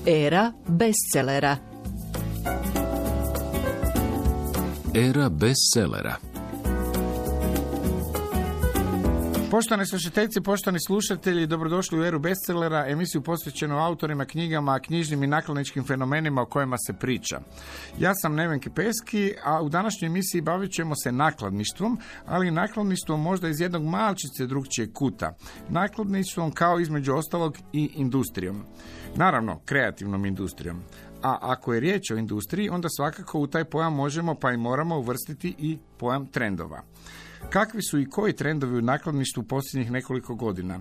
Era bestsellera. Era bestsellera. Poštovane slušateljice, poštovani slušatelji, dobrodošli u Eru bestsellera, emisiju posvećenu autorima, knjigama, knjižnim i nakladničkim fenomenima o kojima se priča. Ja sam Neven Kepeski, a u današnjoj emisiji bavit ćemo se nakladništvom, ali nakladništvom možda iz jednog malčice drugčijeg kuta. Nakladništvom kao između ostalog i industrijom. Naravno, kreativnom industrijom. A ako je riječ o industriji, onda svakako u taj pojam možemo pa i moramo uvrstiti i pojam trendova. Kakvi su i koji trendovi u nakladništvu posljednjih nekoliko godina?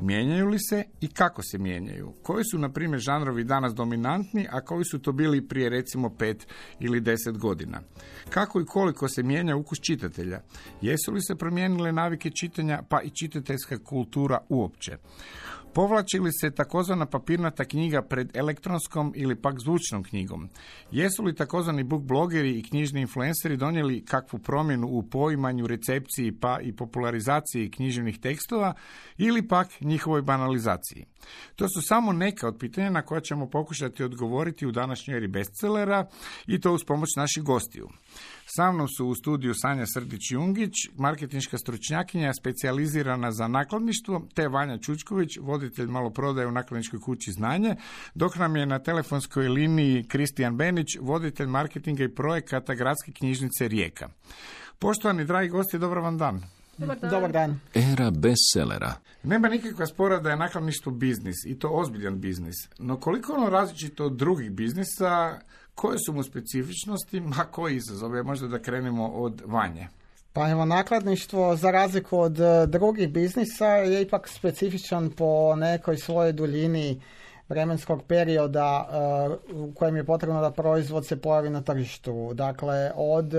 Mijenjaju li se i kako se mijenjaju? Koji su, na primjer, žanrovi danas dominantni, a koji su to bili prije recimo 5 ili 10 godina? Kako i koliko se mijenja ukus čitatelja? Jesu li se promijenile navike čitanja, pa i čitateljska kultura uopće? Povlači li se takozvana papirnata knjiga pred elektronskom ili pak zvučnom knjigom? Jesu li takozvani book blogeri i knjižni influenceri donijeli kakvu promjenu u poimanju, recepciji pa i popularizaciji književnih tekstova ili pak njihovoj banalizaciji? To su samo neka od pitanja na koja ćemo pokušati odgovoriti u današnjoj eri bestsellera i to uz pomoć naših gostiju. Sa mnom su u studiju Sanja Srdić-Jungić, marketinška stručnjakinja specijalizirana za nakladništvo, te Vanja Čučković, voditelj maloprodaje u nakladničkoj kući Znanje, dok nam je na telefonskoj liniji Kristijan Benić, voditelj marketinga i projekata Gradske knjižnice Rijeka. Poštovani dragi gosti, dobar vam dan. Dobar dan. Era bestsellera. Nema nikakva spora da je nakladništvo biznis i to ozbiljan biznis. No koliko ono različito od drugih biznisa, koje su mu specifičnosti, a koji izazove? Možda da krenemo od Vanje. Pa evo, nakladništvo za razliku od drugih biznisa je ipak specifičan po nekoj svojoj duljini vremenskog perioda u kojem je potrebno da proizvod se pojavi na tržištu. Dakle, od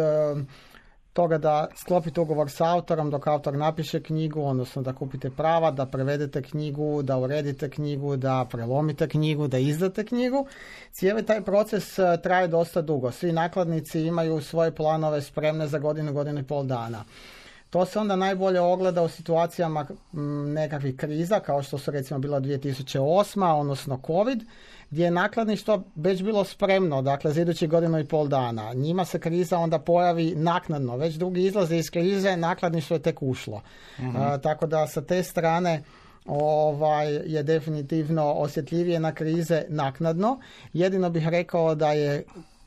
toga da sklopite ugovor s autorom dok autor napiše knjigu, odnosno da kupite prava, da prevedete knjigu, da uredite knjigu, da prelomite knjigu, da izdate knjigu. Cijeli taj proces traje dosta dugo. Svi nakladnici imaju svoje planove spremne za godinu i pol dana. To se onda najbolje ogleda u situacijama nekakvih kriza, kao što su recimo bila 2008. odnosno COVID, gdje je nakladništvo već bilo spremno, dakle za idućih godinu i pol dana. Njima se kriza onda pojavi naknadno, već drugi izlaze iz krize, nakladništvo je tek ušlo. Tako da sa te strane je definitivno osjetljivije na krize naknadno. Jedino bih rekao da je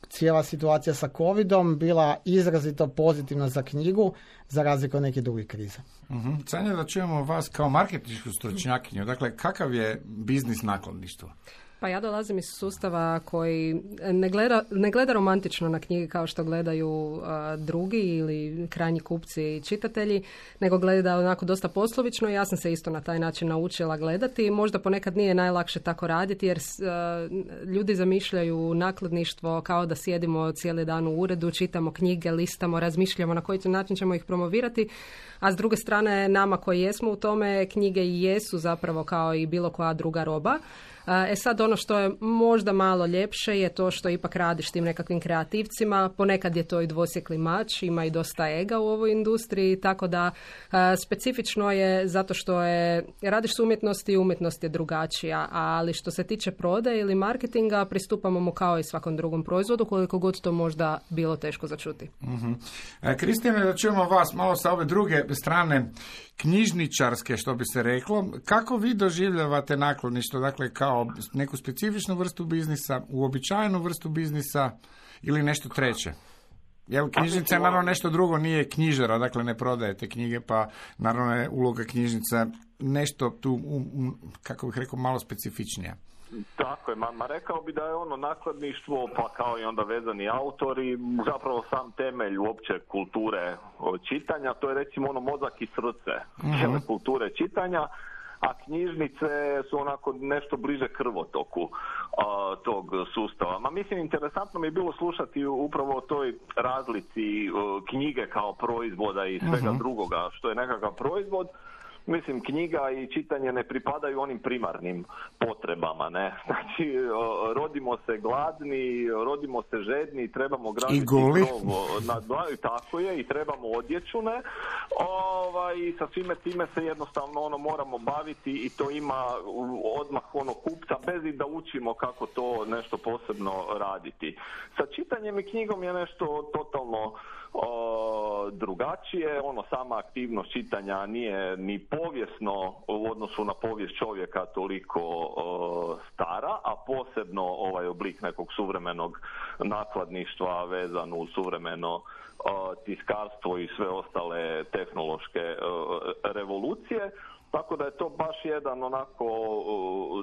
cijela situacija sa COVID-om bila izrazito pozitivna za knjigu, za razliku od nekih drugih kriza. Sanja, da čujemo vas kao marketinšku stručnjakinju. Dakle, kakav je biznis nakladništva? Pa ja dolazim iz sustava koji ne gleda romantično na knjige kao što gledaju drugi ili krajnji kupci i čitatelji, nego gleda onako dosta poslovično i ja sam se isto na taj način naučila gledati. Možda ponekad nije najlakše tako raditi jer ljudi zamišljaju nakladništvo kao da sjedimo cijeli dan u uredu, čitamo knjige, listamo, razmišljamo na koji način ćemo ih promovirati, a s druge strane nama koji jesmo u tome, knjige i jesu zapravo kao i bilo koja druga roba. Sad ono što je možda malo ljepše je to što ipak radiš tim nekakvim kreativcima, ponekad je to i dvosjekli mač, ima i dosta ega u ovoj industriji, tako da specifično je zato što radiš s umjetnosti i umjetnost je drugačija, ali što se tiče prodaje ili marketinga pristupamo mu kao i svakom drugom proizvodu, koliko god to možda bilo teško začuti. Kristijane, da čujemo vas malo sa ove druge strane, knjižničarske, što bi se reklo. Kako vi doživljavate nakladništvo, dakle kao neku specifičnu vrstu biznisa, uobičajenu vrstu biznisa ili nešto treće? Jer knjižnica je naravno nešto drugo, nije knjižara, dakle ne prodajete knjige, pa naravno je uloga knjižnica nešto tu, kako bih rekao, malo specifičnija. Tako je, rekao bi da je ono nakladništvo, pa kao i onda vezani autori, zapravo sam temelj uopće kulture čitanja, to je recimo ono mozak i srce cijele kulture čitanja, a knjižnice su onako nešto bliže krvotoku tog sustava. Mislim, interesantno mi je bilo slušati upravo o toj razlici knjige kao proizvoda i svega drugoga što je nekakav proizvod. Mislim, knjiga i čitanje ne pripadaju onim primarnim potrebama, ne? Znači, rodimo se gladni, rodimo se žedni, trebamo graditi krov nad glavom, tako je, i trebamo odjeću, ne? I sa svime time se jednostavno moramo baviti i to ima odmah kupca bez i da učimo kako to nešto posebno raditi. Sa čitanjem i knjigom je nešto totalno drugačije. Sama aktivnost čitanja nije ni povijesno u odnosu na povijest čovjeka toliko stara, a posebno ovaj oblik nekog suvremenog nakladništva vezan u suvremeno tiskarstvo i sve ostale tehnološke revolucije. Tako da je to baš jedan onako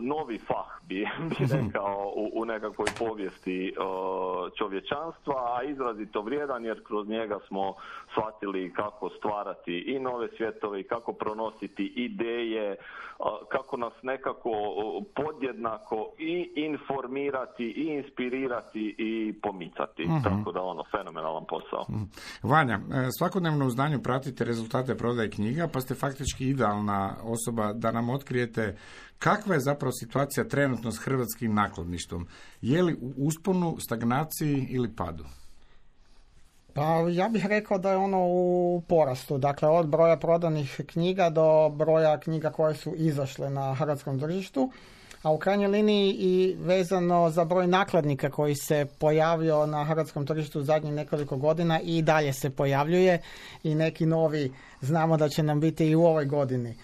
novi fah bi rekao u nekakvoj povijesti čovječanstva, a izrazito vrijedan jer kroz njega smo shvatili kako stvarati i nove svjetove i kako pronositi ideje, kako nas nekako podjednako i informirati i inspirirati i pomicati. Tako da fenomenalan posao. Vanja, svakodnevno u znanju pratite rezultate prodaje knjiga, pa ste faktički idealna osoba da nam otkrijete kakva je zapravo situacija trenutno s hrvatskim nakladništvom. Je li u usponu, stagnaciji ili padu? Pa ja bih rekao da je u porastu. Dakle, od broja prodanih knjiga do broja knjiga koje su izašle na hrvatskom tržištu, a u krajnjoj liniji i vezano za broj nakladnika koji se pojavio na hrvatskom tržištu zadnjih nekoliko godina i dalje se pojavljuje i neki novi znamo da će nam biti i u ovoj godini.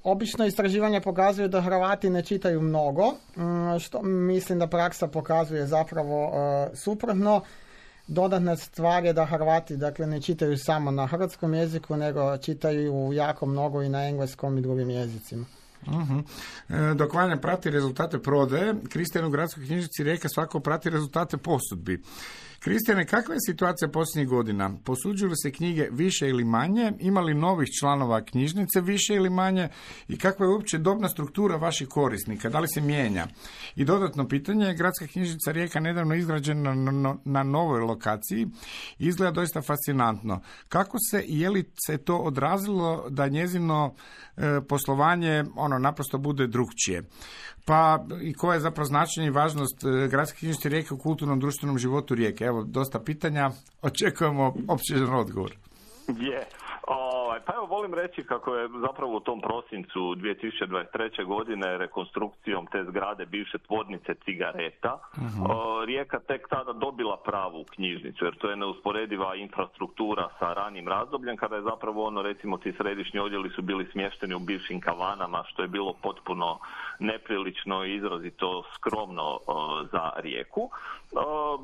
Obično istraživanja pokazuju da Hrvati ne čitaju mnogo, što mislim da praksa pokazuje zapravo suprotno. Dodatna stvar je da Hrvati ne čitaju samo na hrvatskom jeziku, nego čitaju jako mnogo i na engleskom i drugim jezicima. Dok Vanja prati rezultate prodaje, Kristijan u Gradskoj knjižnici Rijeka svako prati rezultate posudbi. Kristijane, kakva je situacija posljednjih godina? Posuđuju li se knjige više ili manje? Ima li novih članova knjižnice više ili manje? I kakva je uopće dobna struktura vaših korisnika? Da li se mijenja? I dodatno pitanje, Gradska knjižnica Rijeka nedavno izgrađena na novoj lokaciji. Izgleda doista fascinantno. Kako se i je li se to odrazilo da njezino poslovanje naprosto bude drukčije? Pa i koja je zapravo značenje i važnost Gradske knjižnice Rijeke u kulturnom društvenom životu Rijeke? Evo, dosta pitanja, očekujemo opširni odgovor. Pa evo, volim reći kako je zapravo u tom prosincu 2023. godine rekonstrukcijom te zgrade bivše tvornice cigareta Rijeka tek tada dobila pravu knjižnicu, jer to je neusporediva infrastruktura sa ranim razdobljem kada je zapravo recimo ti središnji odjeli su bili smješteni u bivšim kavanama, što je bilo potpuno neprilično i izrazito skromno za Rijeku.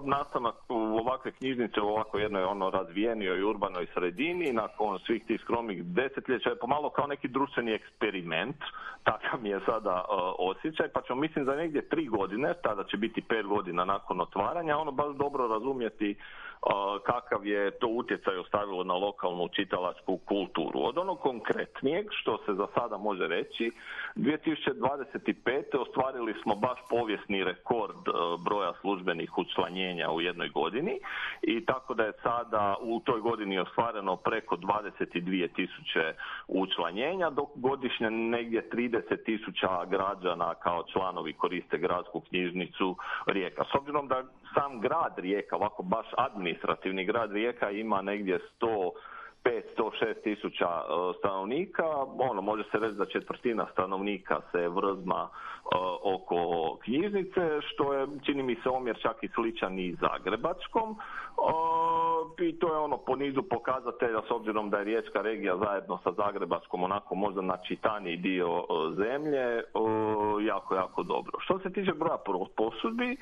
Nastanak u ovakve knjižnice u ovako jednoj razvijenijoj urbanoj sredini nakon svih tih skromnih desetljeća je pomalo kao neki društveni eksperiment, takav mi je sada osjećaj, pa ćemo mislim za negdje 3 godine, tada će biti 5 godina nakon otvaranja, baš dobro razumjeti kakav je to utjecaj ostavilo na lokalnu čitalačku kulturu. Od onog konkretnijeg, što se za sada može reći, 2025. ostvarili smo baš povijesni rekord broja službenih učlanjenja u jednoj godini i tako da je sada u toj godini ostvareno preko 22.000 učlanjenja, dok godišnje negdje 30.000 građana kao članovi koriste Gradsku knjižnicu Rijeka. S obzirom da sam grad Rijeka, ovako baš administrativni grad Rijeka ima negdje 105-106 tisuća stanovnika, može se reći da četvrtina stanovnika se vrzma oko knjižnice, što je, čini mi se, omjer čak i sličan i zagrebačkom. I to je po nizu pokazatelja, s obzirom da je Riječka regija zajedno sa zagrebačkom onako možda načitaniji dio zemlje, jako dobro. Što se tiče broja posudbi,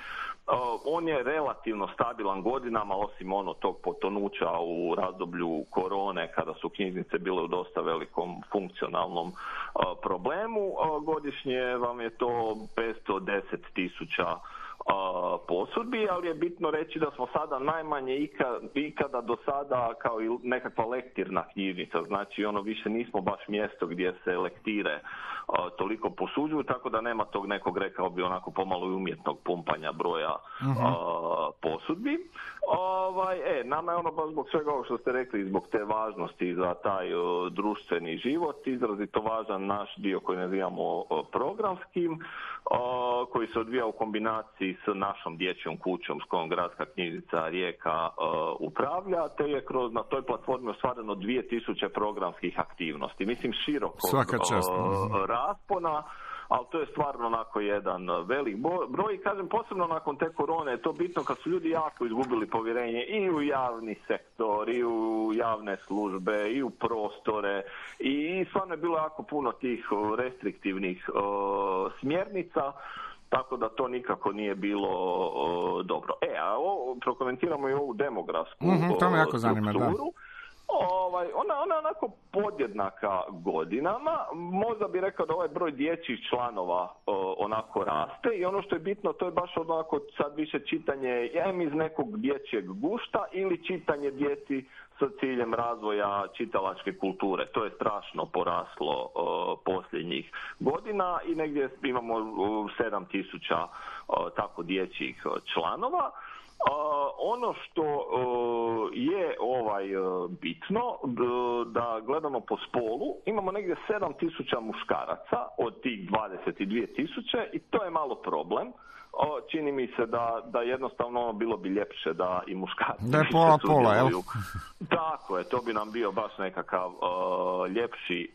on je relativno stabilan godinama, osim tog potonuća u razdoblju korone, kada su knjižnice bile u dosta velikom funkcionalnom problemu. Godišnje vam je to 510.000 posudbi, ali je bitno reći da smo sada najmanje ikada do sada kao i nekakva lektirna knjižnica, znači više nismo baš mjesto gdje se lektire toliko posuđuju, tako da nema tog nekog, rekao bi, onako pomalo i umjetnog pumpanja broja posudbi. Nama je baš zbog svega ovo što ste rekli, zbog te važnosti za taj društveni život, izrazito važan naš dio koji nazivamo programskim, koji se odvija u kombinaciji s našom dječjom kućom s kojom Gradska knjižnica Rijeka upravlja, te je na toj platformi ostvareno 2000 programskih aktivnosti. Mislim, široko raspona, ali to je stvarno onako jedan velik broj. I kažem, posebno nakon te korone je to bitno kad su ljudi jako izgubili povjerenje i u javni sektor, i u javne službe, i u prostore. I stvarno je bilo jako puno tih restriktivnih smjernica, tako da to nikako nije bilo dobro. A prokomentiramo i ovu demografsku to me jako zanima, strukturu. Ona je onako podjednaka godinama. Možda bi rekao da ovaj broj dječjih članova onako raste i ono što je bitno, to je baš onako sad više čitanje iz nekog dječjeg gušta ili čitanje djeci sa ciljem razvoja čitalačke kulture. To je strašno poraslo posljednjih godina i negdje imamo 7.000 tako dječjih članova. Ono što je bitno, da gledamo po spolu, imamo negdje 7.000 muškaraca od tih 22.000 i to je malo problem. Čini mi se da jednostavno bilo bi ljepše da i muškarci da je pola, jel? Tako je, to bi nam bio baš nekakav ljepši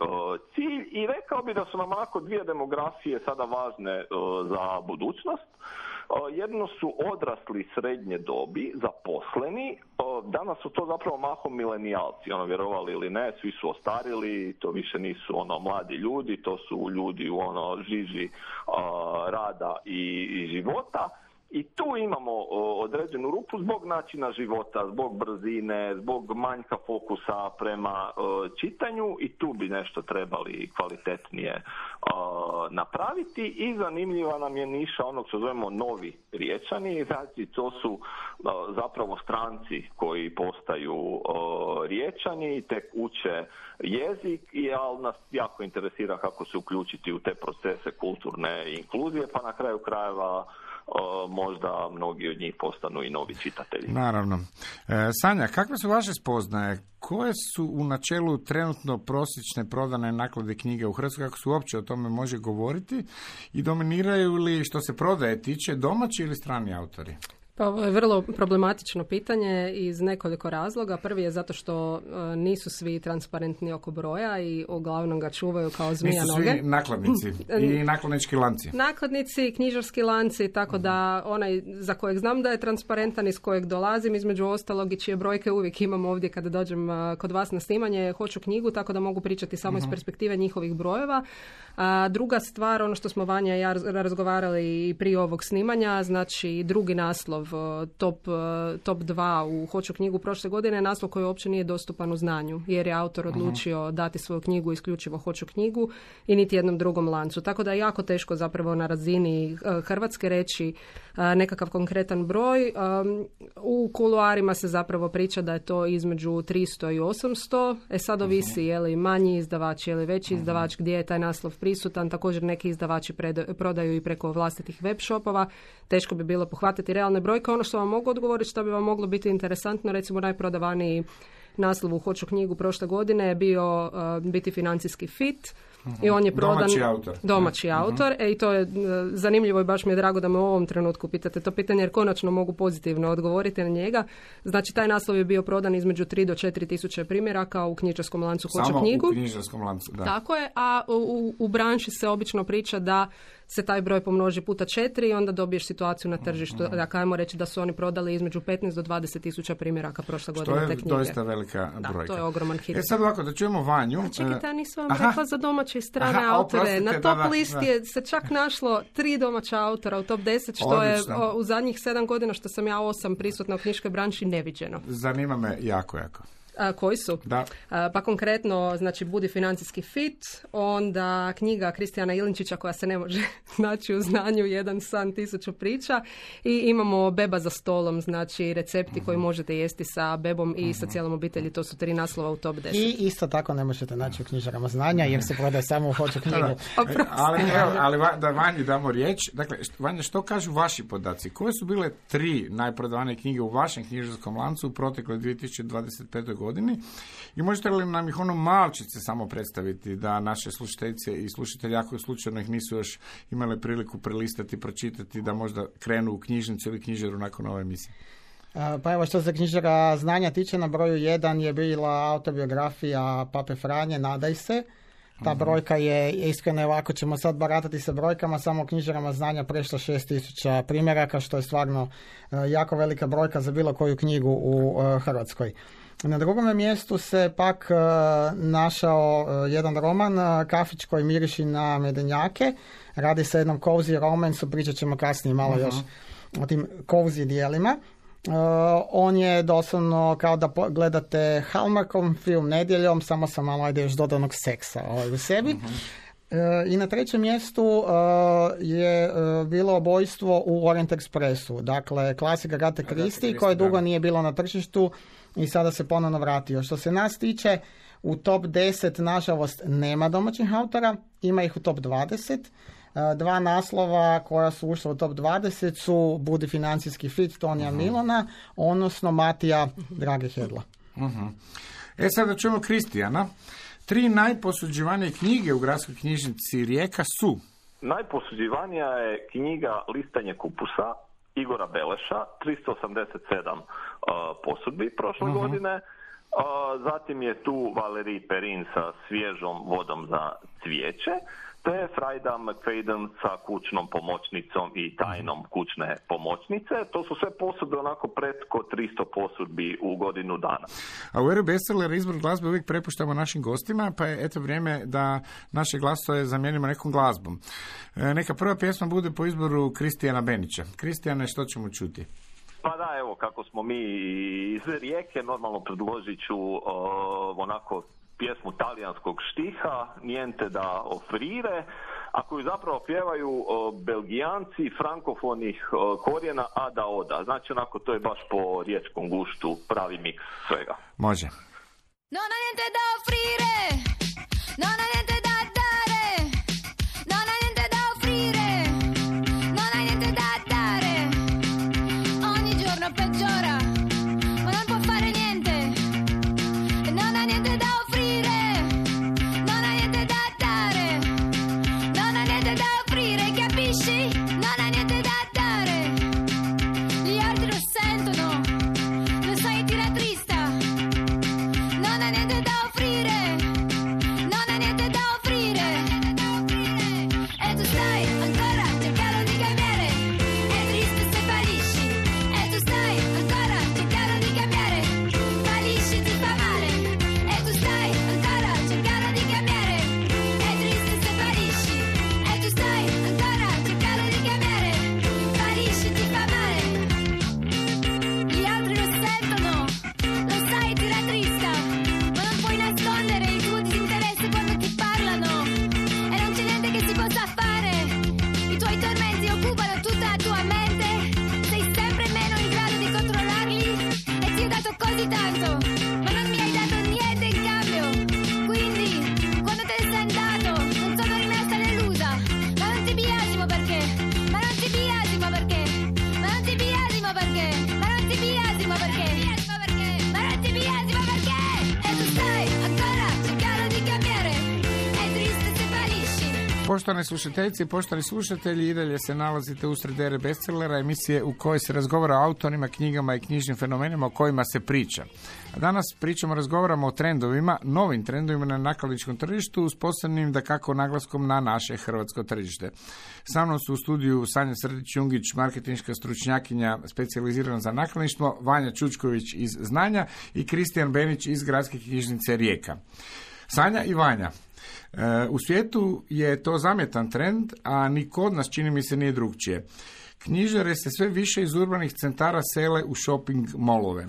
cilj i rekao bi da su nam onako dvije demografije sada važne za budućnost. Jedno su odrasli srednje dobi, zaposleni, danas su to zapravo mahom milenijalci, vjerovali ili ne, svi su ostarili, to više nisu mladi ljudi, to su ljudi u žiži rada i života. I tu imamo određenu rupu zbog načina života, zbog brzine, zbog manjka fokusa prema čitanju i tu bi nešto trebali kvalitetnije napraviti i zanimljiva nam je niša onog što zovemo novi Riječani, znači to su zapravo stranci koji postaju Riječani i tek uče jezik ali nas jako interesira kako se uključiti u te procese kulturne inkluzije, pa na kraju krajeva možda mnogi od njih postanu i novi čitatelji. Naravno. Sanja, kakve su vaše spoznaje? Koje su u načelu trenutno prosječne prodane naklade knjige u Hrvatskoj, kako se uopće o tome može govoriti i dominiraju li što se prodaje tiče domaći ili strani autori? Pa ovo je vrlo problematično pitanje iz nekoliko razloga. Prvi je zato što nisu svi transparentni oko broja i uglavnom ga čuvaju kao zmija noge. Nisu svi nakladnici i nakladnički lanci. Nakladnici, knjižarski lanci, tako da onaj za kojeg znam da je transparentan, iz kojeg dolazim, između ostalog i čije brojke uvijek imam ovdje kada dođem kod vas na snimanje, hoću knjigu, tako da mogu pričati samo iz perspektive njihovih brojeva. Druga stvar, ono što smo Vanja i ja razgovarali i prije ovog snimanja, znači drugi naslov, top 2 u Hoću knjigu prošle godine je naslov koji uopće nije dostupan u znanju, jer je autor odlučio dati svoju knjigu isključivo Hoću knjigu i niti jednom drugom lancu. Tako da je jako teško zapravo na razini Hrvatske reći nekakav konkretan broj. U kuloarima se zapravo priča da je to između 300 i 800. Sad ovisi je li manji izdavač ili veći izdavač gdje je taj naslov prisutan. Također neki izdavači prodaju i preko vlastitih web shopova. Teško bi bilo pohvatiti realne brojke. Ono što vam mogu odgovoriti, što bi vam moglo biti interesantno, recimo najprodavaniji naslov u Hoću knjigu prošle godine je bio Biti financijski fit. I on je prodan domaći autor. I to je zanimljivo i baš mi je drago da me u ovom trenutku pitate to pitanje jer konačno mogu pozitivno odgovoriti na njega. Znači taj naslov je bio prodan između 3 do 4 tisuće primjeraka u knjižarskom lancu Hoću knjigu. Samo u knjižarskom lancu, da. Tako je, a u branši se obično priča da se taj broj pomnoži puta 4 i onda dobiješ situaciju na tržištu. Dakle, ajmo reći da su oni prodali između 15 do 20 tisuća primjeraka prošle godine te knjige. To je doista velika brojka. To je ogroman hit. Sad ovako, da čujemo Vanju. Čekajte, nisam vam rekla za domaće i strane autore. Na top listi je se čak našlo 3 domaća autora u top 10, što odlično. Je u zadnjih 7 godina što sam ja 8 prisutna u knjiškoj branši neviđeno. Zanima me jako. Koji su? Da. Pa konkretno, znači Budi financijski fit, onda knjiga Kristijana Ilinčića koja se ne može naći u znanju, Jedan san, 1000 priča i imamo Beba za stolom, znači recepti koji možete jesti sa bebom i sa cijelom obitelji, to su 3 naslova u top 10. I isto tako ne možete naći u knjižarama znanja jer se prodaje samo u Hoću knjigu. Ali da Vanji damo riječ, dakle, Vanja, što kažu vaši podaci? Koje su bile 3 najprodavanije knjige u vašem knjižarskom lancu u protekle 2025. godine godini. I možete li nam ih malčice samo predstaviti, da naše slušateljice i slušatelji, ako slučajno ih nisu još imali priliku prelistati, pročitati, da možda krenu u knjižnicu ili knjižaru nakon ove emisije? Pa evo, što se knjižara znanja tiče, na broju 1 je bila autobiografija Pape Franje, Nadaj se. Ta brojka je, iskreno, ovako ćemo sad baratati sa brojkama, samo u knjižarama znanja prešla 6000 primjeraka, što je stvarno jako velika brojka za bilo koju knjigu u Hrvatskoj. Na drugom mjestu se pak našao jedan roman, Kafić koji miriši na medenjake. Radi se o jednom cozy romansu, pričat ćemo kasnije malo još o tim cozy dijelima. On je doslovno kao da gledate Hallmarkom film nedjeljom, samo sa malo još dodanog seksa u sebi. I na trećem mjestu je bilo Obojstvo u Orient Expressu, dakle klasika Agathe Christie, koje dugo nije bilo na tržištu i sada se ponovno vratio. Što se nas tiče, u top 10 nažalost nema domaćih autora, ima ih u top 20. Dva naslova koja su ušla u top 20 su Budi financijski fit Tonija Milona, odnosno Matija Drage Hedla. Sada čujemo Kristijana. 3 najposuđivanije knjige u Gradskoj knjižnici Rijeka su? Najposuđivanija je knjiga Listanje kupusa Igora Beleša, 387 posudbi prošle godine. Zatim je tu Valerij Perin sa Svježom vodom za cvijeće, te Frajda McFadden sa Kućnom pomoćnicom i Tajnom kućne pomoćnice. To su sve posudbe onako preko 300 posudbi u godinu dana. A u Eru Bestsellera izbor glazbe uvijek prepuštamo našim gostima, pa je eto vrijeme da naše glasove zamijenimo nekom glazbom. Neka prva pjesma bude po izboru Kristijana Benića. Kristijane, što ćemo čuti? Pa da, evo, kako smo mi iz Rijeke, normalno predložit ću onako pjesmu talijanskog štiha, Niente da offrire, a koju zapravo pjevaju Belgijanci frankofonih korijena a da oda. Znači onako to je baš po riječkom guštu pravi miks svega. Može. Non ha niente da offrire, non ha niente da dare, non ha niente da offrire, non ha niente da dare. Ogni giorno peggiora, ma non può fare niente. Non ha niente da offrire, non ha niente da dare, non ha niente da offrire, capisci? Non ha niente da dare. Gli altri lo sentono, lo sai, ti rattrista. Non ha niente da offrire, non ha niente da offrire. E tu stai ancora cercando di cambiare, è triste se fallisci. E tu stai ancora cercando di cambiare, fallisci, ti fa male. E tu stai ancora cercando di cambiare, è triste se fallisci. E tu stai ancora cercando di cambiare, fallisci, ti fa male. Gli altri lo sentono, lo sai, ti rattrista, ma non puoi nascondere il tuo disinteresse quando ti parlano e non c'è niente che si possa fare. I tuoi tormenti occupano tutta la tua mente, sei sempre meno in grado di controllarli e ti ho dato così tanto, ma non mi hai dato niente in cambio. Quindi, quando te ne sei andato, non sono rimasta delusa, ma non ti biasimo perché, ma non ti biasimo perché, ma non ti biasimo perché, ma non ti biasimo perché, ma non ti biasimo perché. E tu stai ancora cercando di cambiare, è triste se fallisci. Poštovane slušateljice i poštovani slušatelji, i dalje se nalazite usred Ere Bestsellera, emisije u kojoj se razgovara o autorima, knjigama i knjižnim fenomenima o kojima se priča. A danas razgovaramo o trendovima, novim trendovima na nakladničkom tržištu, s posebnim dakako naglaskom na naše hrvatsko tržište. Sa mnom su u studiju Sanja Srdić-Jungić, marketinška stručnjakinja specijalizirana za nakladništvo, Vanja Čučković iz Znanja i Kristijan Benić iz Gradske knjižnice Rijeka. Sanja i Vanja, u svijetu je to zamjetan trend, a ni kod nas čini mi se nije drugčije. Knjižare se sve više iz urbanih centara sele u shopping molove.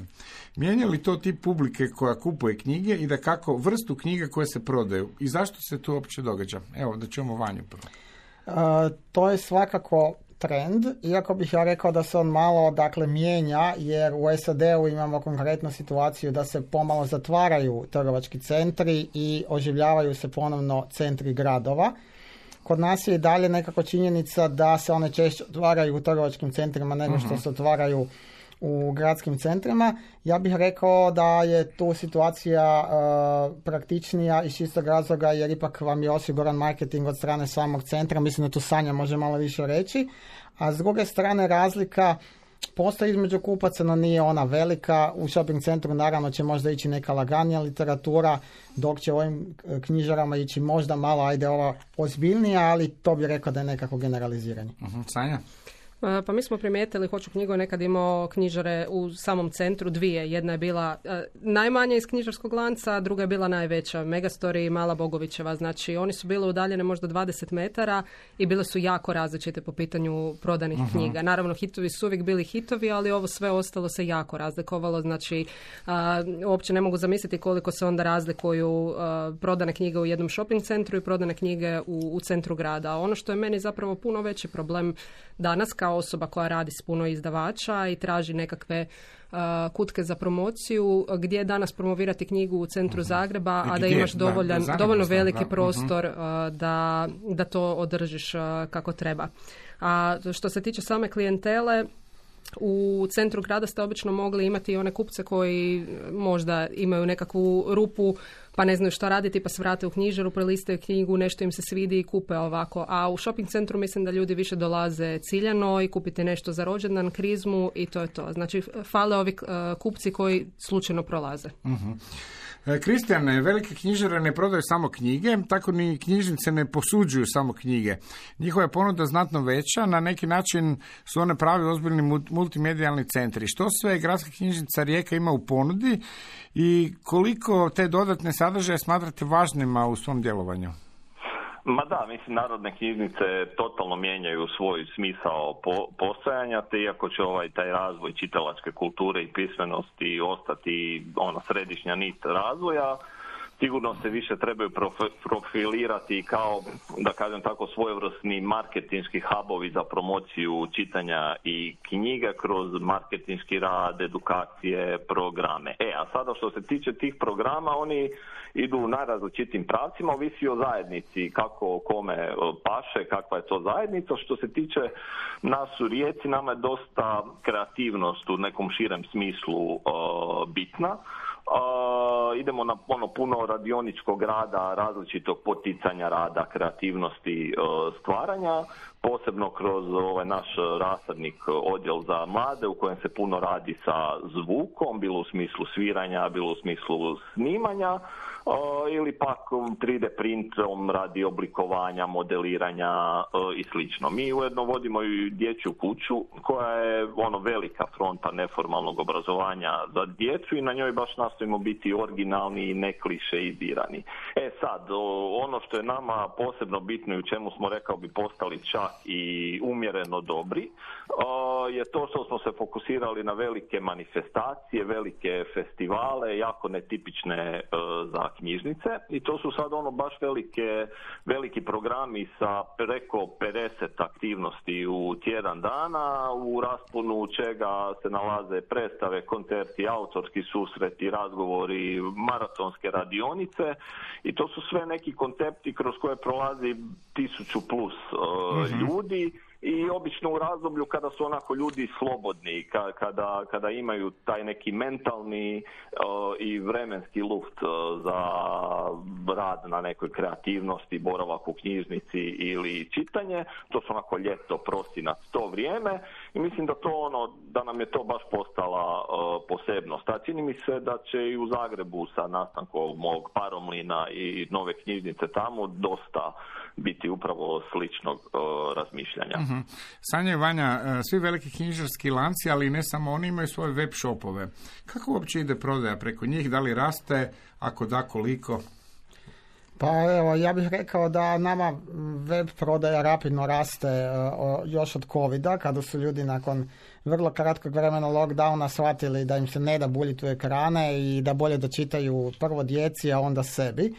Mijenja li to tip publike koja kupuje knjige i da kako vrstu knjiga koje se prodaju? I zašto se to uopće događa? Evo, da ćemo Vanju prvo. To je svakako trend, iako bih ja rekao da se on malo mijenja, jer u SAD-u imamo konkretnu situaciju da se pomalo zatvaraju trgovački centri i oživljavaju se ponovno centri gradova. Kod nas je i dalje nekako činjenica da se one češće otvaraju u trgovačkim centrima nego što se otvaraju u gradskim centrima. Ja bih rekao da je tu situacija praktičnija iz čistog razloga jer ipak vam je osiguran marketing od strane samog centra. Mislim da tu Sanja može malo više reći. A s druge strane razlika postoji između kupaca, no nije ona velika. U shopping centru naravno će možda ići neka laganija literatura, dok će u ovim knjižarama ići možda malo, ova ozbiljnija, ali to bih rekao da je nekako generaliziranje. Sanja? Pa mi smo primijetili, Hoću knjigu je nekad imao knjižare u samom centru, dvije. Jedna je bila najmanja iz knjižarskog lanca, a druga je bila najveća, Megastori i Mala Bogovićeva. Znači, oni su bile udaljene možda 20 metara i bile su jako različite po pitanju prodanih knjiga. Naravno, hitovi su uvijek bili hitovi, ali ovo sve ostalo se jako razlikovalo. Znači, uopće ne mogu zamisliti koliko se onda razlikuju prodane knjige u jednom shopping centru i prodane knjige u centru grada. Ono što je meni zapravo puno veći problem danas kao osoba koja radi s puno izdavača i traži nekakve kutke za promociju, gdje je danas promovirati knjigu u centru Zagreba, a da imaš dovoljno veliki prostor da to održiš kako treba. A što se tiče same klijentele, u centru grada ste obično mogli imati one kupce koji možda imaju nekakvu rupu pa ne znaju šta raditi pa se vrate u knjižaru, prelistaju knjigu, nešto im se svidi i kupe ovako. A u shopping centru mislim da ljudi više dolaze ciljano i kupite nešto za rođendan, krizmu i to je to. Znači fale ovi kupci koji slučajno prolaze. Kristijan, velike knjižare ne prodaju samo knjige, tako ni knjižnice ne posuđuju samo knjige. Njihova je ponuda znatno veća, na neki način su one pravi ozbiljni multimedijalni centri. Što sve gradska knjižnica Rijeka ima u ponudi i koliko te dodatne sadržaje smatrate važnima u svom djelovanju? Ma da, mislim, narodne knjižnice totalno mijenjaju svoj smisao postojanja, te iako će taj razvoj čitalačke kulture i pismenosti ostati središnja nit razvoja, sigurno se više trebaju profilirati kao, da kažem tako, svojevrsni marketinški hubovi za promociju čitanja i knjiga kroz marketinški rad, edukacije, programe. A sada što se tiče tih programa, oni idu u najrazličitim pravcima, ovisi o zajednici, kako kome paše, kakva je to zajednica. Što se tiče nas u Rijeci, nama je dosta kreativnost u nekom širem smislu bitna. Idemo na puno radioničkog rada, različitog poticanja rada, kreativnosti, stvaranja, posebno kroz naš rasadnik odjel za mlade u kojem se puno radi sa zvukom, bilo u smislu sviranja, bilo u smislu snimanja, ili pak 3D printom radi oblikovanja, modeliranja i slično. Mi ujedno vodimo i dječju kuću koja je velika fronta neformalnog obrazovanja za djecu i na njoj baš nastojimo biti originalni i ne klišeizirani. Sad, ono što je nama posebno bitno i u čemu smo, rekao bi, postali čak i umjereno dobri, je to što smo se fokusirali na velike manifestacije, velike festivale, jako netipične za knjižnice, i to su sad baš veliki programi sa preko 50 aktivnosti u tjedan dana, u rasponu čega se nalaze predstave, koncerti, autorski susreti, razgovori, maratonske radionice, i to su sve neki koncepti kroz koje prolazi 1000+ ljudi. I obično u razdoblju kada su ljudi slobodni, kada imaju taj neki mentalni i vremenski luft za rad na nekoj kreativnosti, boravak u knjižnici ili čitanje, to su ljeto, prosinac, to vrijeme, i mislim da da nam je to baš postala posebnost. A čini mi se da će i u Zagrebu sa nastankom mog Paromlina i nove knjižnice tamo dosta biti upravo sličnog razmišljanja. Sanja i Vanja, svi veliki knjižarski lanci, ali ne samo oni, imaju svoje web shopove. Kako uopće ide prodaja preko njih? Da li raste? Ako da, koliko? Pa evo, ja bih rekao da nama web prodaja rapidno raste još od covida, kada su ljudi nakon vrlo kratkog vremena lockdowna shvatili da im se ne da buljiti u ekrane i da bolje da čitaju prvo djeci, a onda sebi.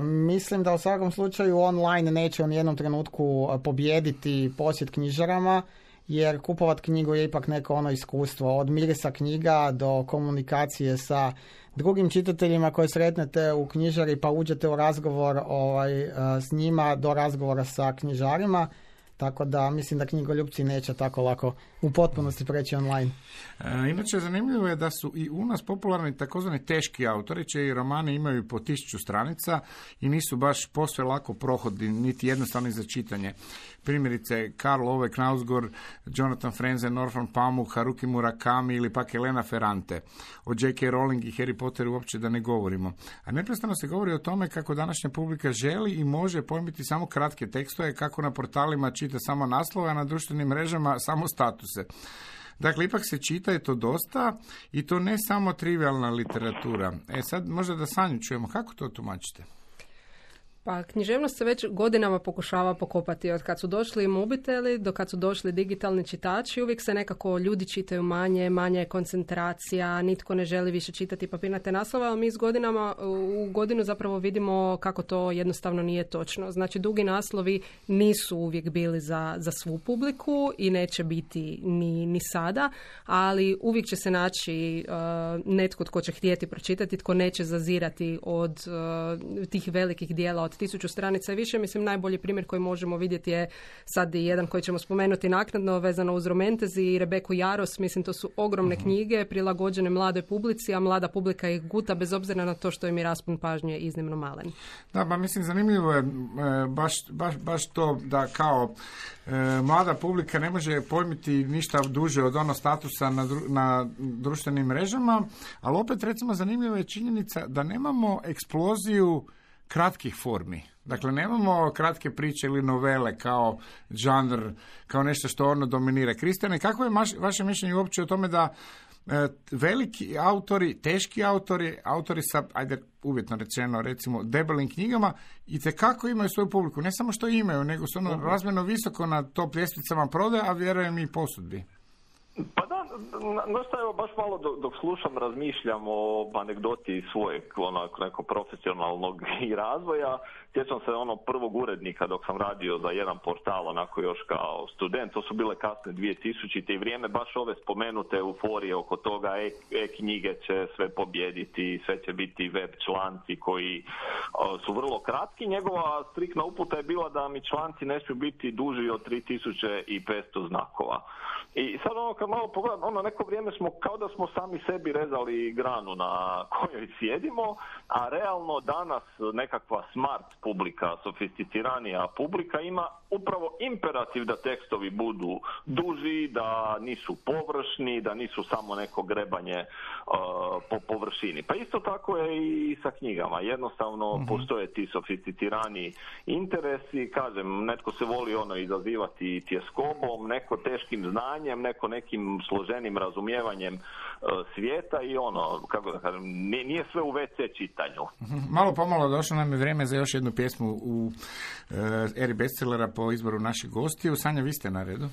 Mislim da u svakom slučaju online neće u nijednom trenutku pobijediti posjet knjižarama, jer kupovat knjigu je ipak neko iskustvo, od mirisa knjiga do komunikacije sa drugim čitateljima koje sretnete u knjižari pa uđete u razgovor s njima, do razgovora sa knjižarima. Tako da mislim da knjigoljupci neće tako lako u potpunosti preći online. Inače, zanimljivo je da su i u nas popularni takozvani teški autori, čiji romani imaju po 1000 stranica i nisu baš posve lako prohodni, niti jednostavni za čitanje. Primjerice, Karl Ove Knausgård, Jonathan Franzen, Norman Pamuk, Haruki Murakami ili pak Elena Ferrante. O J.K. Rowling i Harry Potteru uopće da ne govorimo. A neprestano se govori o tome kako današnja publika želi i može pojmiti samo kratke tekstove, kako na portalima čita samo naslove, a na društvenim mrežama samo statuse. Dakle, ipak se čita i to dosta, i to ne samo trivialna literatura. Sad možda da Sanju čujemo, kako to tumačite? Pa književnost se već godinama pokušava pokopati. Od kad su došli mobiteli do kad su došli digitalni čitači, uvijek se nekako ljudi čitaju manje je koncentracija, nitko ne želi više čitati papirnate naslove, ali mi iz godinama u godinu zapravo vidimo kako to jednostavno nije točno. Znači, dugi naslovi nisu uvijek bili za svu publiku i neće biti ni sada, ali uvijek će se naći netko tko će htjeti pročitati, tko neće zazirati od tih velikih dijela od 1000 stranica i više. Mislim, najbolji primjer koji možemo vidjeti je sad i jedan koji ćemo spomenuti naknadno, vezano uz Romantezi i Rebeku Jaros. Mislim, to su ogromne knjige prilagođene mladoj publici, a mlada publika ih guta bez obzira na to što im je raspon pažnje iznimno malen. Da, pa mislim, zanimljivo je baš to da kao mlada publika ne može pojmiti ništa duže od ono statusa na društvenim mrežama, ali opet, recimo, zanimljiva je činjenica da nemamo eksploziju kratkih formi. Dakle, nemamo kratke priče ili novele kao žanr, kao nešto što ono dominira. Kristijane, kako je vaše mišljenje uopće o tome da veliki autori, teški autori sa, ajde uvjetno rečeno, recimo debelim knjigama, itekako imaju svoju publiku. Ne samo što imaju, nego su ono razmjerno visoko na top ljestvicama prodaje, a vjerujem i posudbi. Pa da, evo baš malo dok slušam, razmišljam o anegdoti svojeg nekog profesionalnog i razvoja. Sjećam se prvog urednika dok sam radio za jedan portal, onako još kao student, to su bile kasne 2000. i vrijeme baš ove spomenute euforije oko toga, knjige će sve pobijediti, sve će biti web članci koji su vrlo kratki. Njegova striktna uputa je bila da mi članci ne smiju biti duži od 3500 znakova. I sad kad malo pogledam, neko vrijeme smo kao da smo sami sebi rezali granu na kojoj sjedimo, a realno danas nekakva smart publika, sofisticiranija publika ima upravo imperativ da tekstovi budu duži, da nisu površni, da nisu samo neko grebanje po površini. Pa isto tako je i sa knjigama. Jednostavno postoje ti sofisticirani interesi, kažem, netko se voli izazivati tjeskobom, neko teškim znanjem, neko nekim složenim razumijevanjem svijeta i kako da kažem, nije sve u WC čitanju. Malo pomalo došlo nam je vrijeme za još jednu pjesmu u eri bestsellera po izboru naših gostiju. Sanja, vi ste na redu.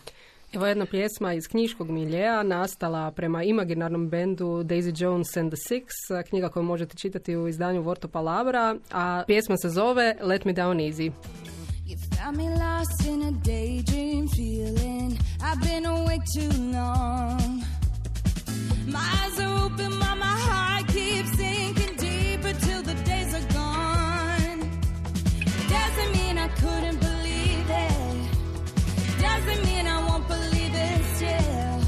Evo jedna pjesma iz knjiškog miljeja, nastala prema imaginarnom bendu Daisy Jones and the Six, knjiga koju možete čitati u izdanju Vorto Palabra, a pjesma se zove Let Me Down Easy. You found me lost in a daydream feeling I've been awake too long. My eyes are open, my heart keeps sinking deeper till the days are gone. Doesn't mean I couldn't believe it. Doesn't mean I won't believe it still.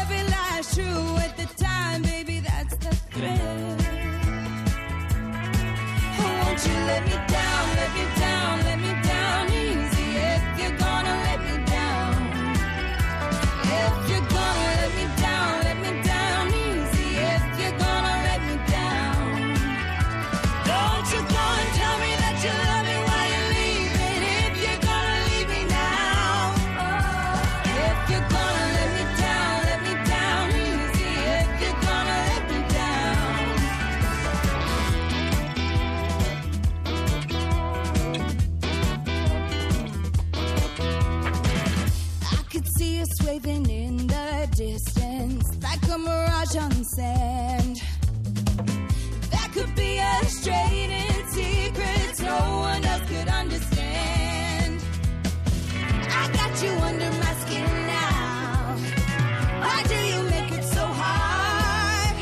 Every lie's true at the time, baby, that's the thrill. Won't you let me down, let me down, let me down easy if you're gonna let me down. If you're gonna let me down easy if you're gonna let me down. Don't you go and tell me that you love me while you're leaving if you're gonna leave me now. If you're gonna let me down easy if you're gonna let me down. I could see us waving in the distance like a mirage on sand. That could be a straight in secret no one else could understand. I got you under my skin now. Why do you make it so hard?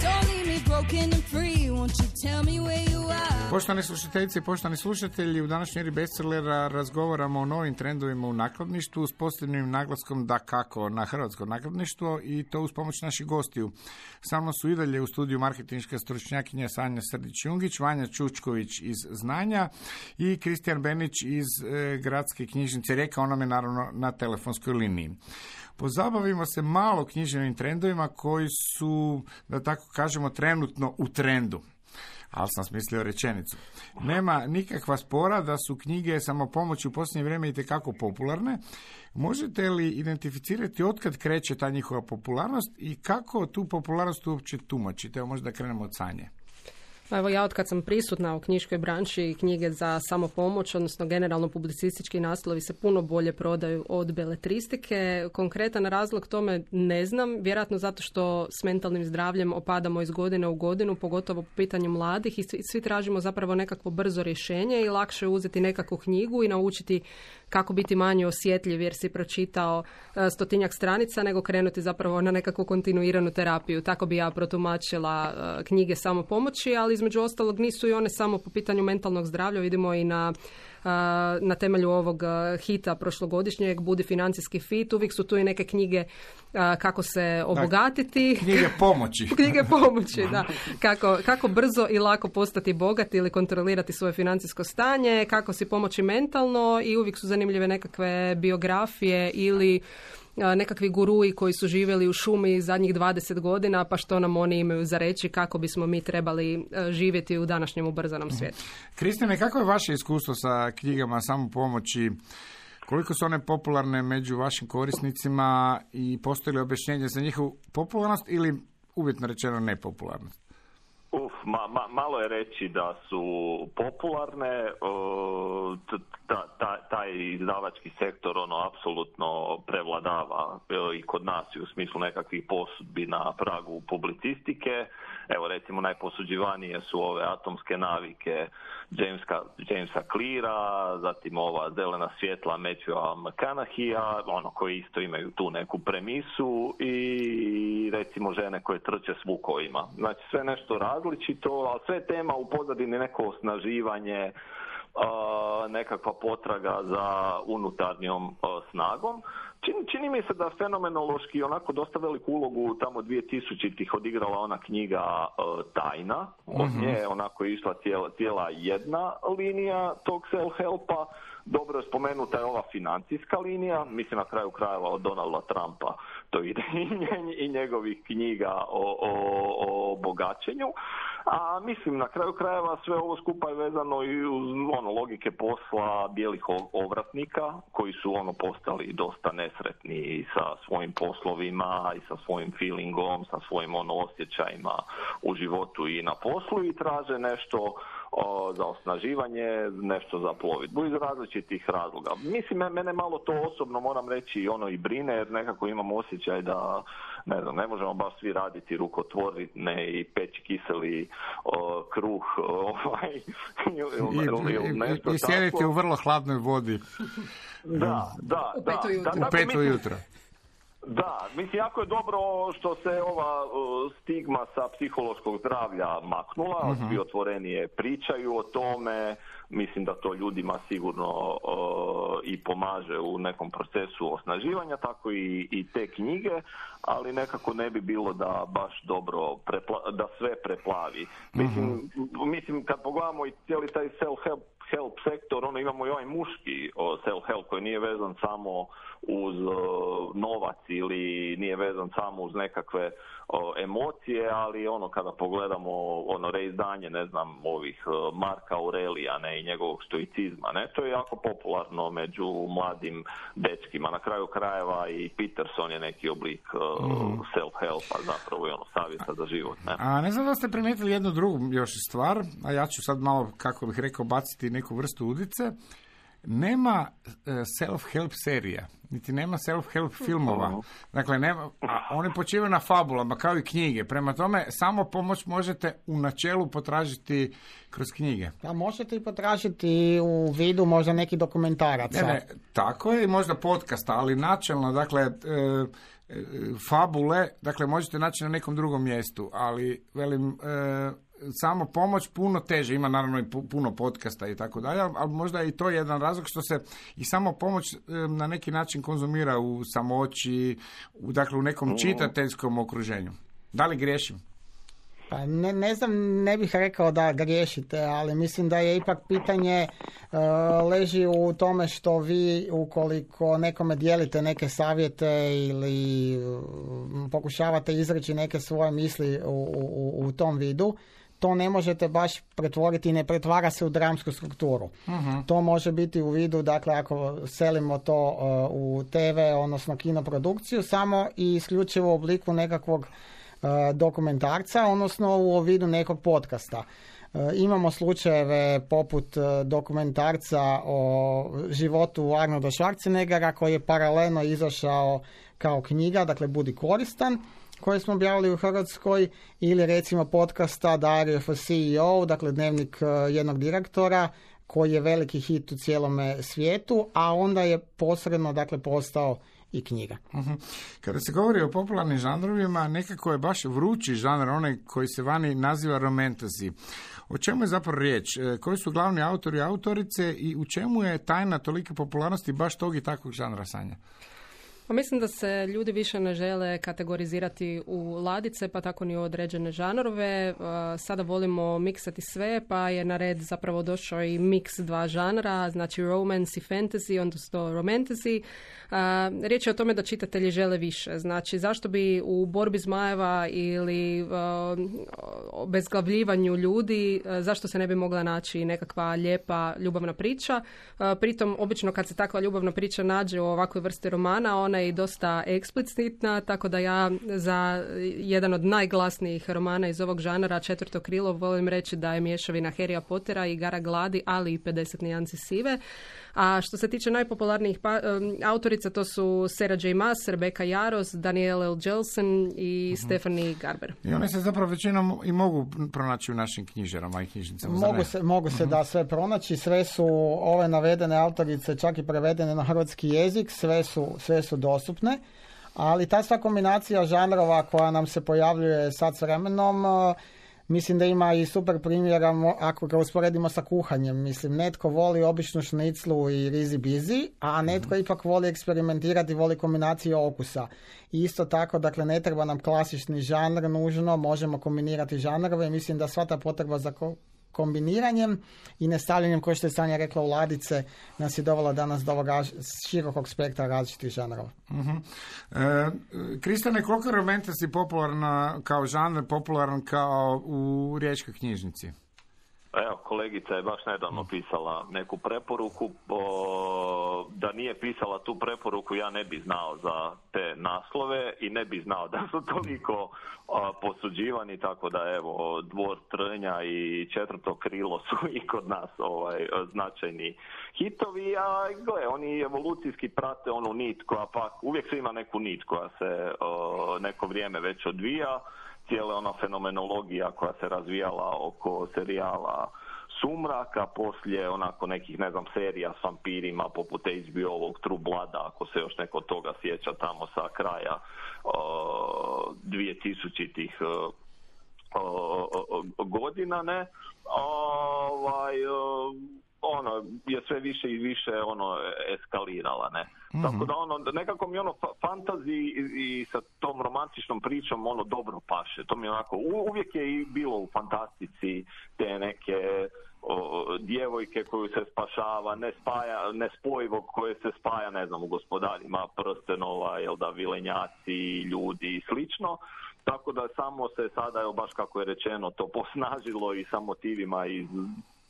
Don't leave me broken and free. Won't you tell me where you are? Poštovane slušateljice i poštovani slušatelji, u današnjoj eri bestsellera razgovaramo o novim trendovima u nakladništvu s posebnim naglaskom dakako na hrvatsko nakladništvo i to uz pomoć naših gostiju. Sa mnom su i dalje u studiju marketinška stručnjakinja Sanja Srdić-Jungić, Vanja Čučković iz Znanja i Kristijan Benić iz Gradske knjižnice Rijeka, on nam je naravno na telefonskoj liniji. Pozabavimo se malo književnim trendovima koji su, da tako kažemo, trenutno u trendu. Ali sam smislio rečenicu. Nema nikakva spora da su knjige samopomoći u posljednje vrijeme itekako popularne. Možete li identificirati otkad kreće ta njihova popularnost i kako tu popularnost uopće tumačite? Evo možda krenemo od Sanje. Evo ja od kad sam prisutna u knjiškoj branši, knjige za samopomoć, odnosno generalno publicistički naslovi se puno bolje prodaju od beletristike. Konkretan razlog tome ne znam, vjerojatno zato što s mentalnim zdravljem opadamo iz godine u godinu, pogotovo po pitanju mladih i svi tražimo zapravo nekakvo brzo rješenje i lakše uzeti nekakvu knjigu i naučiti kako biti manje osjetljiv jer si pročitao 100-tinjak stranica nego krenuti zapravo na nekakvu kontinuiranu terapiju. Tako bi ja protumačila knjige samopomoći, ali između ostalog nisu i one samo po pitanju mentalnog zdravlja, vidimo i na temelju ovog hita prošlogodišnjeg Budi financijski fit, uvijek su tu i neke knjige kako se obogatiti. Knjige pomoći. Knjige pomoći, da. Kako brzo i lako postati bogat ili kontrolirati svoje financijsko stanje, kako si pomoći mentalno i uvijek su zanimljive nekakve biografije ili nekakvi gurui koji su živjeli u šumi zadnjih 20 godina, pa što nam oni imaju za reći kako bismo mi trebali živjeti u današnjem ubrzanom svijetu. Kristine, kako je vaše iskustvo sa knjigama samopomoći? Koliko su one popularne među vašim korisnicima i postoji li objašnjenje za njihovu popularnost ili uvjetno rečeno nepopularnost? Malo je reći da su popularne, taj izdavački sektor apsolutno prevladava i kod nas i u smislu nekakvih posudbi na pragu publicistike. Evo recimo najposuđivanije su ove Atomske navike Jamesa Cleara, zatim ova Zelena svjetla Matthewa McConaugheyja, koji isto imaju tu neku premisu i recimo Žene koje trče s vukovima. Znači sve nešto različito, ali sve tema u pozadini neko osnaživanje, nekakva potraga za unutarnjom snagom. Čini mi se da fenomenološki onako dosta veliku ulogu tamo 2000-ih odigrala ona knjiga Tajna. Od nje onako išla cijela jedna linija tog self-helpa. Dobro je spomenuta je ova financijska linija, mislim na kraju krajeva od Donalda Trumpa, to ide i njegovih knjiga o bogaćenju. A mislim na kraju krajeva sve ovo skupa je vezano i uz logike posla bijelih ovratnika koji su postali dosta nesretni sa svojim poslovima i sa svojim feelingom, sa svojim osjećajima u životu i na poslu i traže nešto za osnaživanje, nešto za plovidbu iz različitih razloga. Mislim, mene malo to osobno moram reći i brine jer nekako imam osjećaj da ne možemo baš svi raditi rukotvorine i peći kiseli kruh ili nešto i sjediti u vrlo hladnoj vodi. Da. U 5 5 ujutro. Da, mislim, jako je dobro što se ova stigma sa psihološkog zdravlja maknula, svi otvorenije pričaju o tome, mislim da to ljudima sigurno i pomaže u nekom procesu osnaživanja, tako i te knjige, ali nekako ne bi bilo da baš dobro, da sve preplavi. Mislim, kad pogledamo i cijeli taj self-help sektor, imamo i ovaj muški self-help koji nije vezan samo uz novac ili nije vezan samo uz nekakve emocije, ali kada pogledamo reizdanje, ovih Marka Aurelija, i njegovog stoicizma, to je jako popularno među mladim dečkima. Na kraju krajeva i Peterson je neki oblik self-helpa, zapravo i savjeta za život. A ne znam da ste primijetili jednu drugu još stvar, a ja ću sad malo, kako bih rekao, baciti neku vrstu udice. Nema self-help serija. niti nema self-help filmova. Dakle, oni počivaju na fabulama, kao i knjige. Prema tome, samo pomoć možete u načelu potražiti kroz knjige. A možete i potražiti u vidu možda neki dokumentaraca. Ne, tako je, i možda podcasta, ali načelno, dakle, fabule, dakle, možete naći na nekom drugom mjestu, ali, velim, samo pomoć puno teže, ima naravno i puno podcasta i tako dalje, ali možda je i to jedan razlog što se i samo pomoć na neki način konzumira u samoći, dakle u nekom čitateljskom okruženju. Da li griješim? Pa ne znam, ne bih rekao da griješite, ali mislim da je ipak pitanje leži u tome što vi, ukoliko nekome dijelite neke savjete ili pokušavate izreći neke svoje misli u tom vidu, to ne možete baš pretvoriti i ne pretvara se u dramsku strukturu. To može biti u vidu, dakle, ako selimo to u TV, odnosno kinoprodukciju, samo i isključivo u obliku nekakvog dokumentarca, odnosno u vidu nekog podcasta. Imamo slučajeve poput dokumentarca o životu Arnolda Schwarzeneggera koji je paralelno izašao kao knjiga, dakle Budi koristan, koje smo objavili u Hrvatskoj, ili recimo podcasta Diary of a CEO, dakle dnevnik jednog direktora, koji je veliki hit u cijelome svijetu, a onda je posredno, dakle, postao i knjiga. Kada se govori o popularnim žanrovima, nekako je baš vrući žanr, onaj koji se vani naziva romantasy. O čemu je zapravo riječ? Koji su glavni autori i autorice i u čemu je tajna tolike popularnosti baš tog i takvog žanra, Sanja? Pa mislim da se ljudi više ne žele kategorizirati u ladice, pa tako ni u određene žanrove. Sada volimo miksati sve, pa je na red zapravo došao i miks dva žanra, znači romance i fantasy, odnosno romantasy. Riječ je o tome da čitatelji žele više. Znači, zašto bi u borbi zmajeva ili obezglavljivanju ljudi, zašto se ne bi mogla naći nekakva lijepa ljubavna priča? Pritom, obično kad se takva ljubavna priča nađe u ovakvoj vrsti romana, ona je i dosta eksplicitna, tako da ja za jedan od najglasnijih romana iz ovog žanra, Četvrto krilo, volim reći da je mješavina Harrya Pottera i Igara gladi, ali i 50 nijansi sive. A što se tiče najpopularnijih autorica, to su Sarah J. Maas, Rebecca Yarros, Danielle L. Jelsen i Stephanie Garber. I one se zapravo većinom i mogu pronaći u našim knjižarama i knjižnicama. Mogu se da sve pronaći, sve su ove navedene autorice čak i prevedene na hrvatski jezik, sve su dostupne, ali ta sva kombinacija žanrova koja nam se pojavljuje sad s vremenom, mislim da ima i super primjera ako ga usporedimo sa kuhanjem. Mislim, netko voli običnu šniclu i rizi bizi, a netko ipak voli eksperimentirati, voli kombinaciju okusa. I isto tako, dakle, ne treba nam klasični žanr nužno, možemo kombinirati žanrove i mislim da sva ta potreba za kombiniranjem i nestavljanjem, kao što je Sanja rekla, u ladice, nas je dovela danas do ovoga širokog spektra različitih žanrova. Kristane, koliko je romantasy popularna kao žanr, popularan kao u Riječkoj knjižnici? Evo, kolegica je baš nedavno pisala neku preporuku. Da nije pisala tu preporuku, ja ne bi znao za te naslove i ne bi znao da su toliko posuđivani, tako da evo, Dvor trnja i Četvrto krilo su i kod nas značajni hitovi, a gle, oni evolucijski prate onu nit koja pak, uvijek se ima neku nit koja se neko vrijeme već odvija, cijela ona fenomenologija koja se razvijala oko serijala Sumraka, poslije onako nekih, ne znam, serija s vampirima poput HBO-ovog True Blooda, ako se još neko toga sjeća tamo sa kraja 2000-ih godina, ne? Ono je sve više i više eskalirala, ne. Tako da nekako mi fantazi i sa tom romantičnom pričom dobro paše. To mi onako uvijek je i bilo u fantastici te neke djevojke koju se spašava, nespojivog koje se spaja, ne znam, u Gospodarima prstenova, vilenjaci, ljudi i slično. Tako da samo se sada, baš kako je rečeno, to posnažilo i sa motivima iz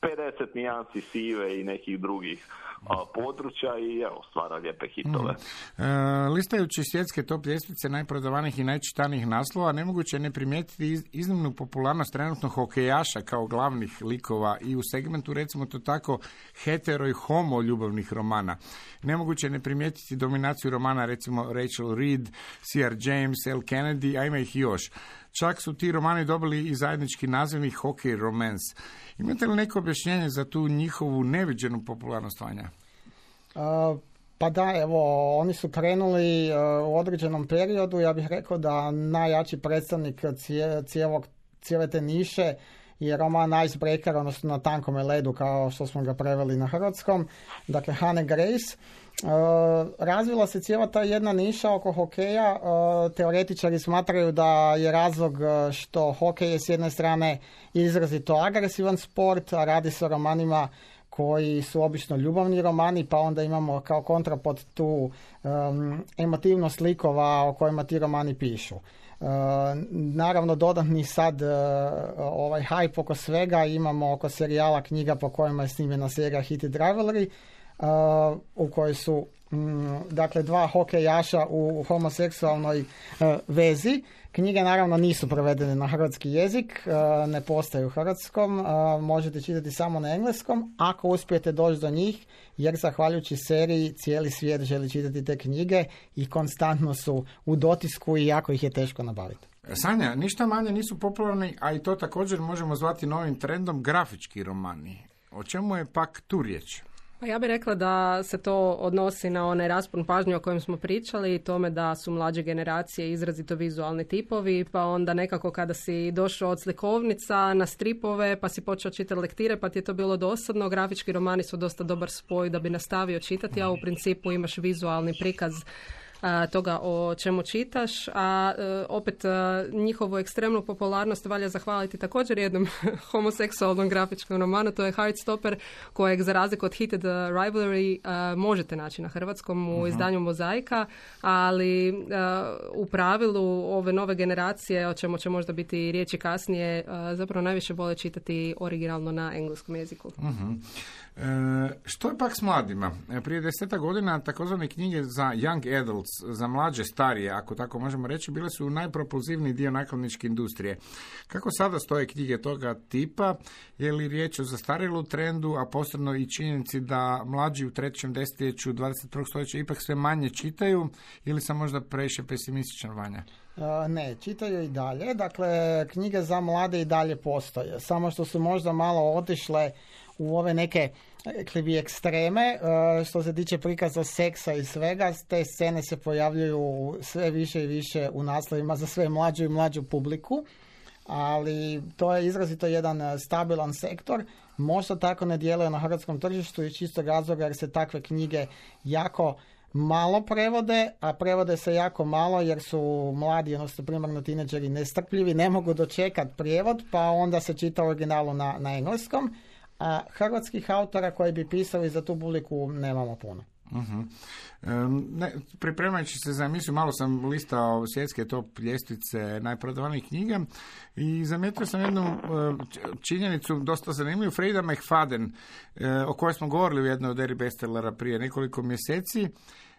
50 nijansi sive i nekih drugih područja i evo, stvara lijepe hitove. Listajući svjetske top ljestvice najprodavanijih i najčitanijih naslova, nemoguće je ne primijetiti iznimnu popularnost trenutno hokejaša kao glavnih likova i u segmentu, recimo to tako, hetero i homo ljubavnih romana. Nemoguće je ne primijetiti dominaciju romana, recimo Rachel Reed, C.R. James, L. Kennedy, a ima ih još. Čak su ti romani dobili i zajednički nazivnik hockey romance. Imate li neko objašnjenje za tu njihovu neviđenu popularnost, Vanja? Pa da, evo, oni su krenuli u određenom periodu. Ja bih rekao da najjači predstavnik cijele te niše je roman Icebreaker, odnosno Na tankome ledu, kao što smo ga preveli na hrvatskom. Dakle, Hannah Grace. Razvila se cijela ta jedna niša oko hokeja. Teoretičari smatraju da je razlog što hokej je s jedne strane izrazito agresivan sport, a radi se o romanima koji su obično ljubavni romani, pa onda imamo kao kontrapod tu emotivnost likova o kojima ti romani pišu. Naravno, dodatni sad ovaj hype oko svega imamo oko serijala knjiga po kojima je snimljena serija Heated Rivalry, u kojoj su dakle dva hokejaša u homoseksualnoj vezi. Knjige naravno nisu prevedene na hrvatski jezik, ne postoje u hrvatskom, možete čitati samo na engleskom ako uspijete doći do njih, jer zahvaljujući seriji cijeli svijet želi čitati te knjige i konstantno su u dotisku i jako ih je teško nabaviti. Sanja, ništa manje nisu popularni, a i to također možemo zvati novim trendom, grafički romani. O čemu je pak tu riječ? Pa ja bih rekla da se to odnosi na onaj raspon pažnje o kojem smo pričali i tome da su mlađe generacije izrazito vizualni tipovi, pa onda nekako kada si došao od slikovnica na stripove, pa si počeo čitati lektire, pa ti je to bilo dosadno. Grafički romani su dosta dobar spoj da bi nastavio čitati, a u principu imaš vizualni prikaz toga o čemu čitaš, a opet njihovu ekstremnu popularnost valja zahvaliti također jednom homoseksualnom grafičkom romanu, to je Heartstopper, kojeg za razliku od Heated Rivalry možete naći na hrvatskom u izdanju Mozaika, ali u pravilu ove nove generacije, o čemu će možda biti riječi kasnije, zapravo najviše vole čitati originalno na engleskom jeziku. Što je pak s mladima? Prije 10 godina takozvane knjige za young adults, za mlađe starije, ako tako možemo reći, bile su najpropulzivniji dio nakladničke industrije. Kako sada stoje knjige toga tipa? Je li riječ o zastarjelu trendu, a posebno i činjenici da mlađi u trećem desetljeću 21. stoljeća ipak sve manje čitaju, ili sam možda previše pesimističan, Vanja? Ne, čitaju i dalje. Dakle, knjige za mlade i dalje postoje. Samo što su možda malo otišle u ove neke, rekli bi, ekstreme, što se tiče prikaza seksa i svega. Te scene se pojavljuju sve više i više u naslovima za sve mlađu i mlađu publiku, ali to je izrazito jedan stabilan sektor. Možda tako ne djeluje na hrvatskom tržištu iz čistog razloga jer se takve knjige jako malo prevode, a prevode se jako malo jer su mladi, odnosno primarno tineđeri, nestrpljivi, ne mogu dočekati prijevod, pa onda se čita originalu na engleskom, a hrvatskih autora koji bi pisali za tu publiku nemamo puno. Pripremajući se za emisiju, malo sam listao svjetske top ljestvice najprodavanijih knjiga i zamijetio sam jednu činjenicu dosta zanimljivu. Freida McFadden, o kojoj smo govorili u jednoj od eri bestsellera prije nekoliko mjeseci,